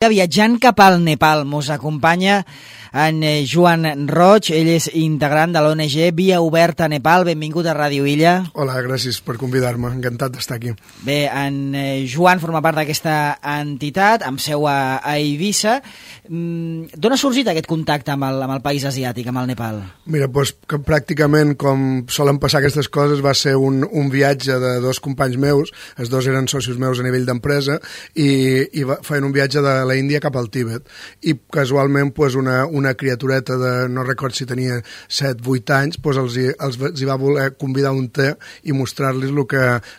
Viatjant cap al Nepal, mos acompanya en Joan Roig, ell és integrant de l'ONG Via Oberta a Nepal. Benvingut a Ràdio Illa. Hola, gràcies per convidar-me, encantat d'estar aquí. Bé, en Joan forma part d'aquesta entitat, amb seu a Eivissa. D'on ha sorgit aquest contacte amb el país asiàtic, amb el Nepal? Mira, doncs que pràcticament com solen passar aquestes coses va ser un viatge de dos companys meus, els dos eren socis meus a nivell d'empresa, i feien un viatge de la Índia cap al Tíbet, i casualment una criatureta de, no record si tenia 7-8 anys, els hi va voler convidar un té i mostrar-los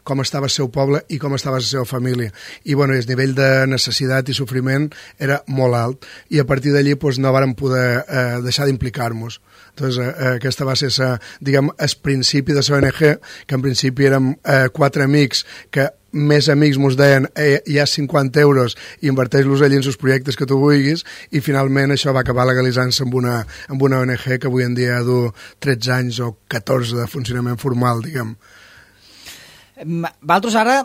com estava el seu poble i com estava la seva família. I bueno, el nivell de necessitat i sofriment era molt alt, i a partir d'allí no vàrem poder deixar d'implicar-nos. Entonces, aquesta va ser el principi de l'ONG, que en principi érem 4 amics que més amics mos deien hi ha 50 euros i inverteix-los allí en els projectes que tu vulguis, i finalment això va acabar legalitzant-se amb una ONG que avui en dia du 13 anys o 14 de funcionament formal, diguem. Vosaltres ara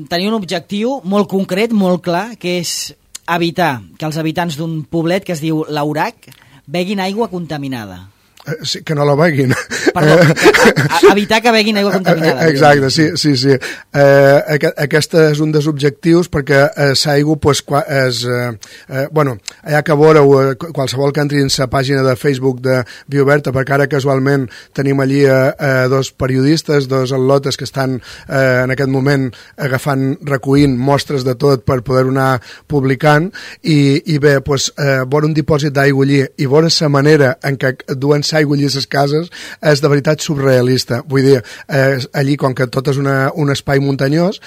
teniu un objectiu molt concret, molt clar, que és evitar que els habitants d'un poblet que es diu Laurac beguin aigua contaminada. Sí, que no la beguin. Perdó, evitar que beguin aigua contaminada. Exacte, sí. Aquest és un dels objectius, perquè l'aigua, allà que veureu, qualsevol que entri en la pàgina de Facebook de Via Oberta, perquè ara casualment tenim allí dos periodistes, dos atletes que estan en aquest moment recollint mostres de tot per poder anar publicant, i bé, veure un dipòsit d'aigua allí i veure la manera en què duen aigua allí a les cases és de veritat surrealista. Vull dir, allí, com que tot és un espai muntanyós,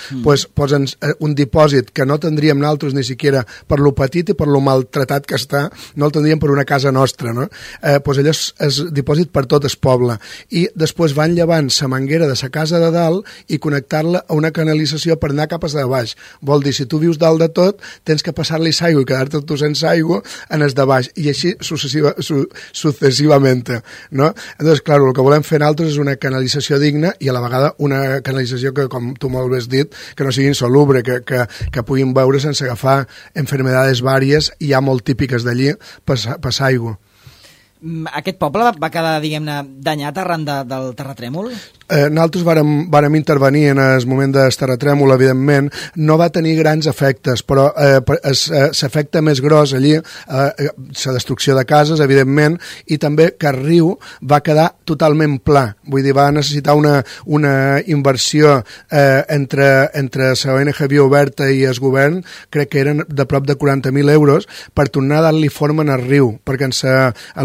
posen un dipòsit que no tindríem nosaltres ni siquiera per lo petit i per lo maltratat que està, no el tindríem per una casa nostra, no? Allò és dipòsit per tot el poble, i després van llevant la manguera de la casa de dalt i connectar-la a una canalització per anar cap a de baix. Vol dir, si tu vius dalt de tot, tens que passar-li l'aigua i quedar-te tu sense aigua en el de baix, i així successivament. No? Entonces, clar, el que volem fer nosaltres és una canalització digna, i a la vegada una canalització que, com tu molt bé has dit, que no sigui insalubre, que puguin beure sense agafar enfermedades vàries i ja molt típiques d'allí, passar aigua. Aquest poble va quedar, diguem-ne, danyat arran del terratrèmol? Nosaltres vàrem intervenir en el moment del terratrèmol, evidentment. No va tenir grans efectes, però l'efecte més gros allí, la destrucció de cases, evidentment, i també que el riu va quedar totalment pla. Vull dir, va necessitar una inversió entre la ONG Via Oberta i el govern, crec que eren de prop de 40.000 euros, per tornar a dar-li forma en el riu, perquè en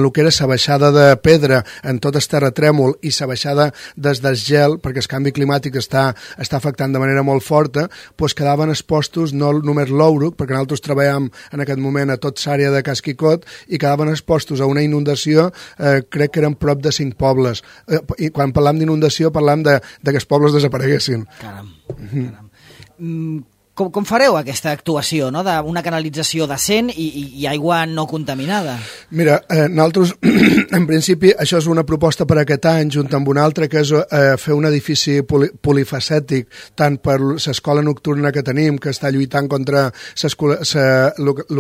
el que era la baixada de pedra en tot el terratrèmol i la baixada des del gel, perquè el canvi climàtic està afectant de manera molt forta, quedaven expostos no només l'Ouruc, perquè nosaltres treballem en aquest moment a tota l'àrea de Casquicot, i quedaven expostos a una inundació, crec que eren prop de 5 pobles. I quan parlam d'inundació parlam de que els pobles desapareguessin. Caram. Com fareu aquesta actuació, no? D'una canalització decent i aigua no contaminada? Mira, nosaltres, en principi, això és una proposta per aquest any, junt amb una altra, que és fer un edifici polifacètic, tant per l'escola nocturna que tenim, que està lluitant contra el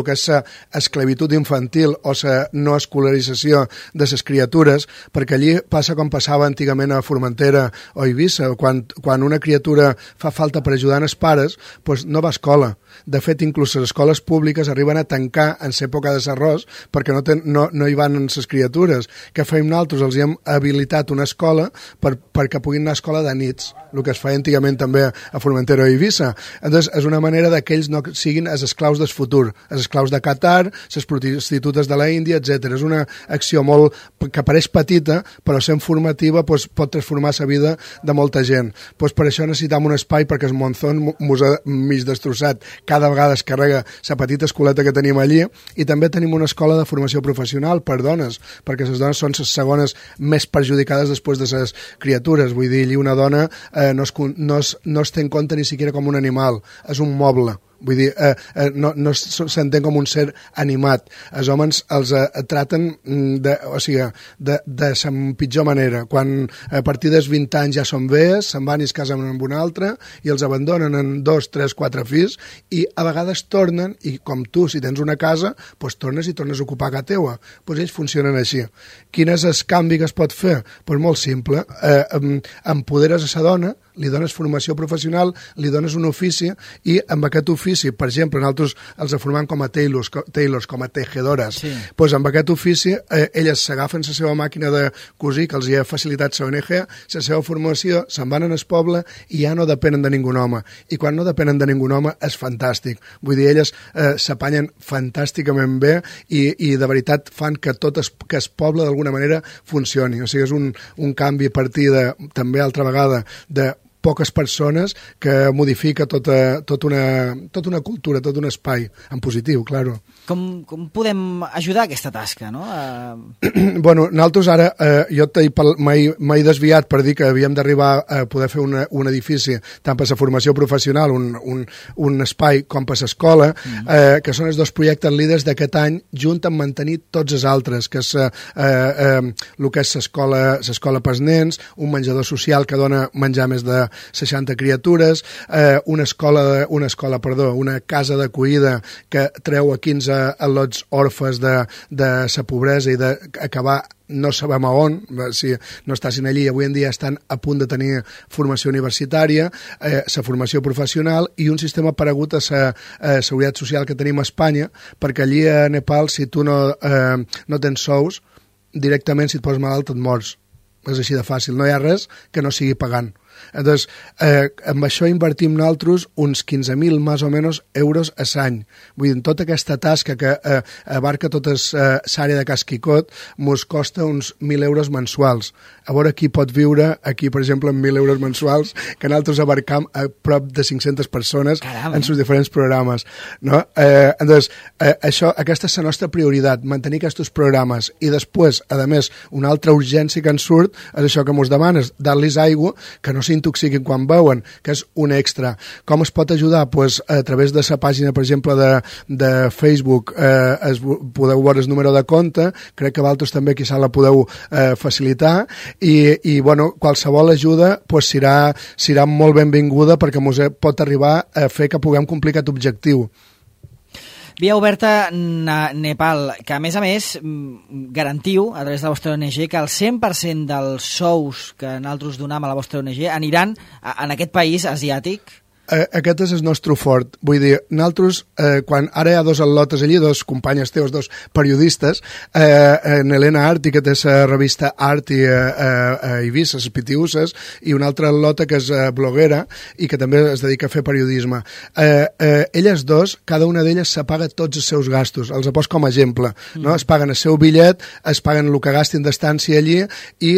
que és l'esclavitud infantil o la no escolarització de les criatures, perquè allí passa com passava antigament a Formentera o Eivissa, quan una criatura fa falta per ajudar els pares, no va a escola. De fet, inclús les escoles públiques arriben a tancar en l'època de l'arròs perquè no hi van les criatures. Què fem nosaltres? Els hem habilitat una escola perquè puguin anar a escola de nits, el que es feia antigament també a Formentera o Eivissa. Entonces, és una manera que ells no siguin els esclaus del futur, els esclaus de Qatar, les prostitutes de la Índia, etc. És una acció molt que pareix petita, però sent formativa pot transformar la vida de molta gent. Per això necessitam un espai, perquè el Monzón mos ha mig destrossat cada vegada es carrega la petita escoleta que tenim allí, i també tenim una escola de formació professional per dones, perquè les dones són les segones més perjudicades després de les criatures. Vull dir, allí una dona no es té en compte ni siquiera com un animal, és un moble. vull dir, no s'entén com un ser animat. Els homes els traten de la pitjor manera. Quan a partir dels 20 anys ja són vells, se'n van i es casen amb un altre i els abandonen en 2, 3, 4 fills i a vegades tornen i com tu, si tens una casa, doncs tornes i tornes a ocupar casa teua. Doncs ells funcionen així. Quin és el canvi que es pot fer? Doncs molt simple. Empoderes a la dona, li dones formació professional, li dones un ofici i amb aquest ofici, per exemple, nosaltres els formem com a tailors, com a tejedores, doncs amb aquest ofici elles s'agafen la seva màquina de cosir que els hi ha facilitat la ONG, la seva formació, se'n van en el poble i ja no depenen de ningú home. I quan no depenen de ningú home és fantàstic. Vull dir, elles s'apanyen fantàsticament bé i de veritat fan que que el poble d'alguna manera funcioni. O sigui, és un canvi a partir de, també altra vegada, de poques persones que modifica tota una cultura, tot un espai, en positiu, claro. Com podem ajudar aquesta tasca, no? Bueno, nosaltres ara, jo m'he desviat per dir que havíem d'arribar a poder fer un edifici, tant per la formació professional, un espai, com per l'escola, que són els dos projectes líders d'aquest any, junt amb mantenir tots els altres, que és el que és l'escola pels nens, un menjador social que dona menjar més de 60 criatures, una casa d'acollida que treu a 15 al·lots orfes de la pobresa i d'acabar no sabem a on, si no estàssim allí, avui en dia estan a punt de tenir formació universitària, la formació professional i un sistema paregut a la seguretat social que tenim a Espanya, perquè allí a Nepal, si tu no tens sous, directament si et poses malalt et mors. És així de fàcil, no hi ha res que no sigui pagant. Entonces, amb això invertim nosaltres uns 15.000 més o menys euros a l'any. Vull dir, tota aquesta tasca que abarca tota l'àrea de Casquicot mos costa uns 1.000 euros mensuals. A veure qui pot viure aquí, per exemple, amb 1.000 euros mensuals, que nosaltres abarcam a prop de 500 persones en els diferents programes. No? Entonces, aquesta és la nostra prioritat, mantenir aquests programes. I després, a més, una altra urgència que ens surt és això que mos demanes, dar-los aigua, que no s'intoxiquin quan beuen, que és un extra. Com es pot ajudar? Pues a través de la pàgina, per exemple, de Facebook, podeu veure el número de compte, crec que vosaltres també quizà la podeu facilitar, i bueno, qualsevol ajuda pues, serà molt benvinguda perquè ens pot arribar a fer que puguem complir aquest objectiu. Via Oberta Nepal, que a més garantiu a través de la vostra ONG que el 100% dels sous que nosaltres donem a la vostra ONG aniran en aquest país asiàtic? Aquest és el nostre fort. Vull dir, nosaltres, quan ara hi ha dos al·lotes allí, dos companyes teus, dos periodistes, Helena Arti, que té la revista Arti a Eivissa, les Pitiusses, i una altra al·lota que és bloguera i que també es dedica a fer periodisme. Elles dos, cada una d'elles se paga tots els seus gastos, els pos com a exemple. No? Es paguen el seu bitllet, es paguen el que gastin d'estància allí i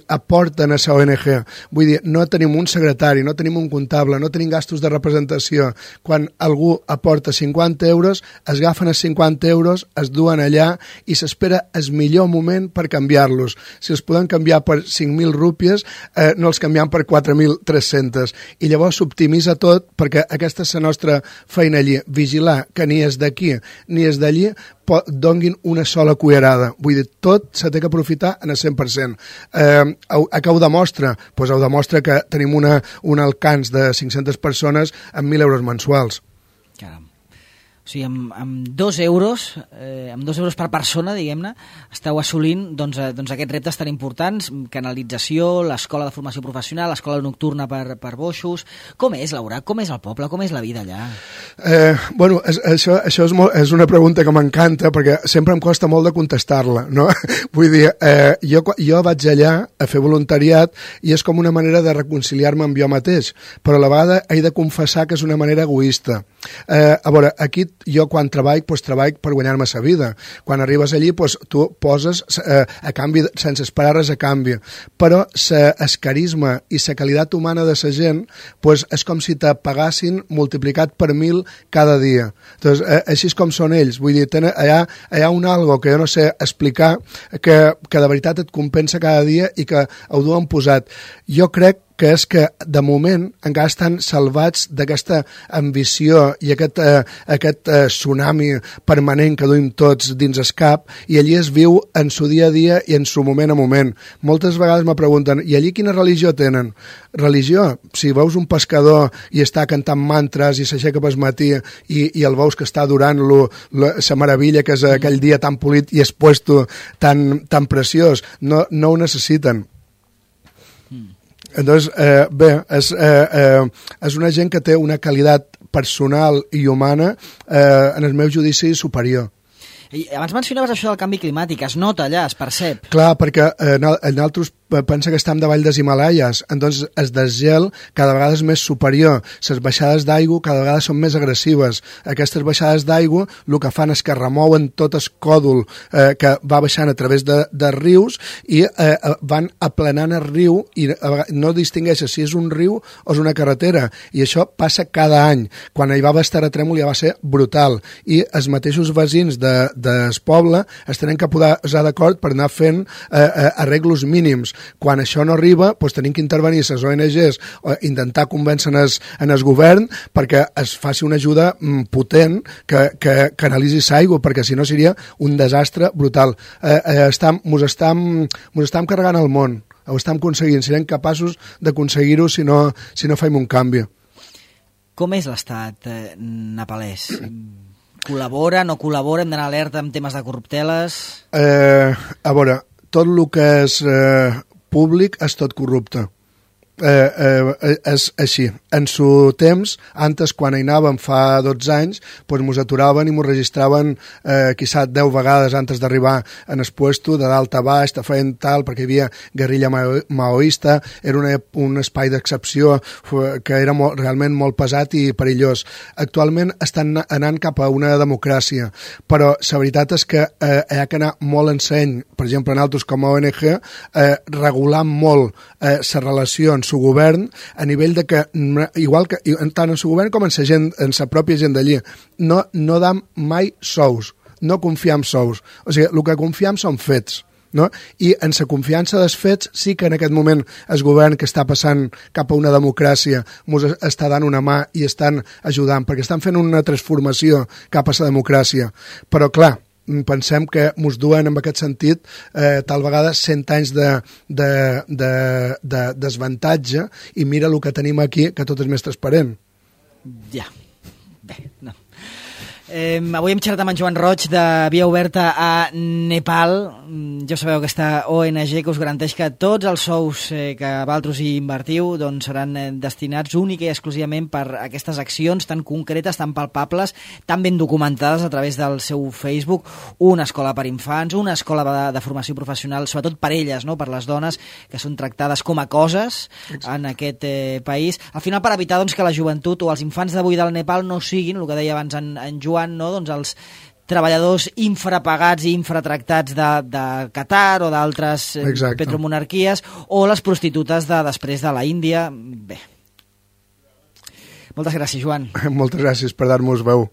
aporten a la ONG. Vull dir, no tenim un secretari, no tenim un comptable, no tenim gastos de representació. Quan algú aporta 50 euros, es agafen els 50 euros, es duen allà i s'espera el millor moment per canviar-los. Si els podem canviar per 5.000 rúpies, no els canviem per 4.300. I llavors s'optimitza tot perquè aquesta és la nostra feina allí, vigilar que ni és d'aquí ni és d'allí donguin una sola cullerada. Vull dir, tot se té que aprofitar en el 100%. A què ho demostra? Doncs ho demostra que tenim un alcance de 500 persones amb 1.000 euros mensuals. Caram. O sigui, amb 2 euros per persona, diguem-ne, esteu assolint doncs, aquests reptes tan importants, canalització, l'escola de formació professional, l'escola nocturna per boixos. Com és, Laura? Com és el poble? Com és la vida allà? Bueno, això és una pregunta que m'encanta perquè sempre em costa molt de contestar-la, no? Vull dir, jo vaig allà a fer voluntariat i és com una manera de reconciliar-me amb jo mateix, però a la vegada he de confessar que és una manera egoista. A veure, aquí jo quan treballo per guanyar-me la vida. Quan arribes allí tu poses a canvi, sense esperar res a canvi, però el carisma i la qualitat humana de la gent és com si te pagassin multiplicat per 1.000 cada dia. Entonces, així és com són ells. Vull dir, hi ha un algo que jo no sé explicar que de veritat et compensa cada dia i que ho duen posat. Jo crec que és que de moment encara estan salvats d'aquesta ambició i aquest tsunami permanent que duim tots dins el cap, i allí es viu en su dia a dia i en su moment a moment. Moltes vegades me pregunten, i allí quina religió tenen? Religió? Si veus un pescador i està cantant mantres i s'aixeca pel matí i el veus que està adorant-lo, la meravella que és aquell dia tan polit i expuesto, tan preciós, no ho necessiten. Entonces, bé, és una gent que té una qualitat personal i humana en el meu judici superior. I abans mencionaves això del canvi climàtic, es nota allà, es percep. Clar, perquè nosaltres pensa que estem davall dels Himalaies, entonces el desgel cada vegada és més superior, les baixades d'aigua cada vegada són més agressives. Aquestes baixades d'aigua el que fan és que remouen tot el còdol que va baixant a través de rius i van aplanant el riu i no distingeixes si és un riu o és una carretera, i això passa cada any. Quan hi va haver terratrèmol ja va ser brutal, i els mateixos veïns del poble es tenen que posar d'acord per anar fent arreglos mínims. Quan això no arriba, doncs tenim que intervenir les ONGs o intentar convèncer en el govern perquè es faci una ajuda potent que canalitzi l'aigua, perquè si no seria un desastre brutal. Mos estem carregant el món, ho estem aconseguint, serem capaços d'aconseguir-ho si no fem un canvi. Com és l'estat nepalès? Col·labora, no col·labora, hem d'anar alerta amb temes de corrupteles? A veure, tot el que és públic és tot corrupte. És així. En su temps, antes quan hi anàvem fa 12 anys, doncs mos aturaven i mos registraven quizá 10 vegades antes d'arribar en el puesto, de dalt a baix, te feien tal, perquè hi havia guerrilla maoista, era un espai d'excepció que era realment molt pesat i perillós. Actualment estan anant cap a una democràcia, però la veritat és que hi ha que anar molt en seny, per exemple, nosaltres com a ONG, regulant molt les relacions su govern, a nivell de que, igual que tant en su govern com en la pròpia gent d'allí, no dam mai sous, no confiam sous. O sigui, el que confiam són fets. No? I en la confiança dels fets sí que en aquest moment el govern que està passant cap a una democràcia ens està dant una mà i estan ajudant, perquè estan fent una transformació cap a la democràcia. Però clar, pensem que ens duen en aquest sentit tal vegada 100 anys de desavantatge, i mira el que tenim aquí, que tot és més transparent. Ja, bé, no. Avui hem xerrat amb en Joan Roig de Via Oberta a Nepal. Ja sabeu aquesta ONG que us garanteix que tots els sous que vosaltres hi invertiu doncs seran destinats únic i exclusivament per aquestes accions tan concretes, tan palpables, tan ben documentades a través del seu Facebook. Una escola per infants, una escola de formació professional, sobretot per elles, no? Per les dones que són tractades com a coses en aquest país. Al final, per evitar doncs, que la joventut o els infants d'avui del Nepal no siguin, el que deia abans en Joan, no? Doncs els treballadors infrapagats i infratractats de Qatar o d'altres petromonarquies, o les prostitutes de després de la Índia. Bé. Moltes gràcies, Joan. Moltes gràcies per dar-nos veu.